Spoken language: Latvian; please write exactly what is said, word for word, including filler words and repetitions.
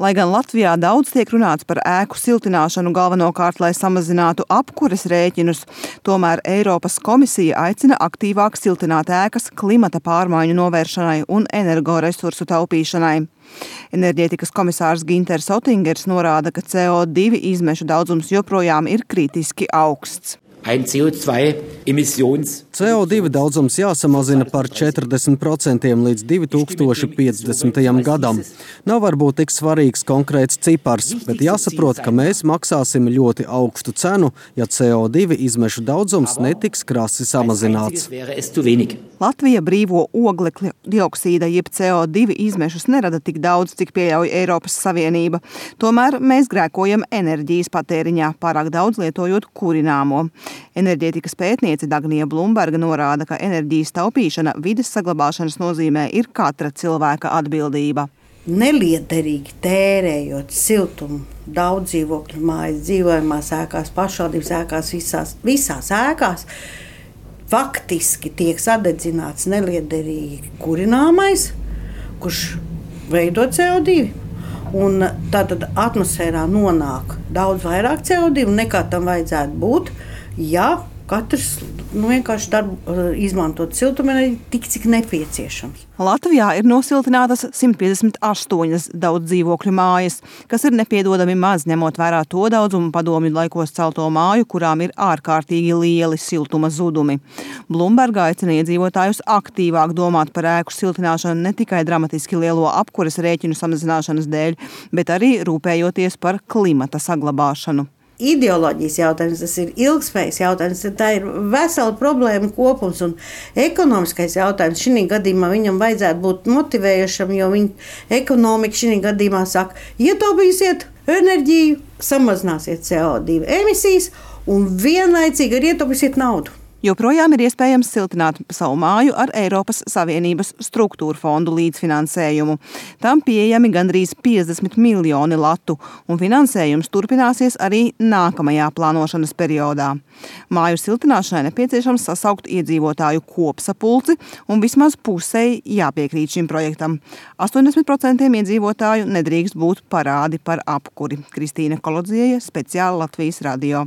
Lai gan Latvijā daudz tiek runāts par ēku siltināšanu galvenokārt, lai samazinātu apkures rēķinus, tomēr Eiropas komisija aicina aktīvāk siltināt ēkas klimata pārmaiņu novēršanai un energoresursu taupīšanai. Enerģētikas komisārs Ginters Otingers norāda, ka C O divi izmešu daudzums joprojām ir kritiski augsts. C O divi daudzums jāsamazina par četrdesmit procentiem līdz divi tūkstoši piecdesmitajam gadam. Nav varbūt tik svarīgs konkrēts cipars, bet jāsaprot, ka mēs maksāsim ļoti augstu cenu, ja C O divi izmešu daudzums netiks krasi samazināts. Latvija brīvo oglekļa dioksīda jeb C O divi izmešus nerada tik daudz, cik pieļauj Eiropas Savienība. Tomēr mēs grēkojam enerģijas patēriņā, pārāk daudz lietojot kurināmo. Enerģētikas pētniece Dagnija Blumberga norāda, ka enerģijas taupīšana vides saglabāšanas nozīmē ir katra cilvēka atbildība. Neliederīgi tērējot siltumu daudz dzīvokļu mājas, dzīvojamās ēkās, pašvaldības ēkās, visās, visās ēkās, faktiski tiek sadedzināts neliederīgi kurināmais, kurš veido C O divi. Un tātad atmosfērā nonāk daudz vairāk C O divi nekā tam vajadzētu būt, ja katrs nu, vienkārši darbu izmantot siltumenerģiju tik, cik nepieciešams. Latvijā ir nosiltinātas simt piecdesmit astoņas daudz dzīvokļu mājas, kas ir nepiedodami maz, ņemot vērā to daudzumu padomju laikos celto māju, kurām ir ārkārtīgi lieli siltuma zudumi. Blumberga aicina iedzīvotājus aktīvāk domāt par ēku siltināšanu ne tikai dramatiski lielo apkures rēķinu samazināšanas dēļ, bet arī rūpējoties par klimata saglabāšanu. Ideoloģijas jautājums, tas ir ilgspējas jautājums, tā ir vesela problēma kopums un ekonomiskais jautājums. Šī gadījumā viņam vajadzētu būt motivējušam, jo viņa ekonomika šī gadījumā saka, ietaupīsiet enerģiju, samazināsiet C O divi emisijas un vienlaicīgi arī ietaupīsiet naudu. Joprojām ir iespējams siltināt savu māju ar Eiropas Savienības struktūru fondu līdzfinansējumu. Tam pieejami gandrīz piecdesmit miljoni latu, un finansējums turpināsies arī nākamajā plānošanas periodā. Māju siltināšanai nepieciešams sasaukt iedzīvotāju kopsapulci, un vismaz pusei jāpiekrīt šim projektam. astoņdesmit procenti iedzīvotāju nedrīkst būt parādi par apkuri. Kristīna Kolodzieja, speciāli Latvijas radio.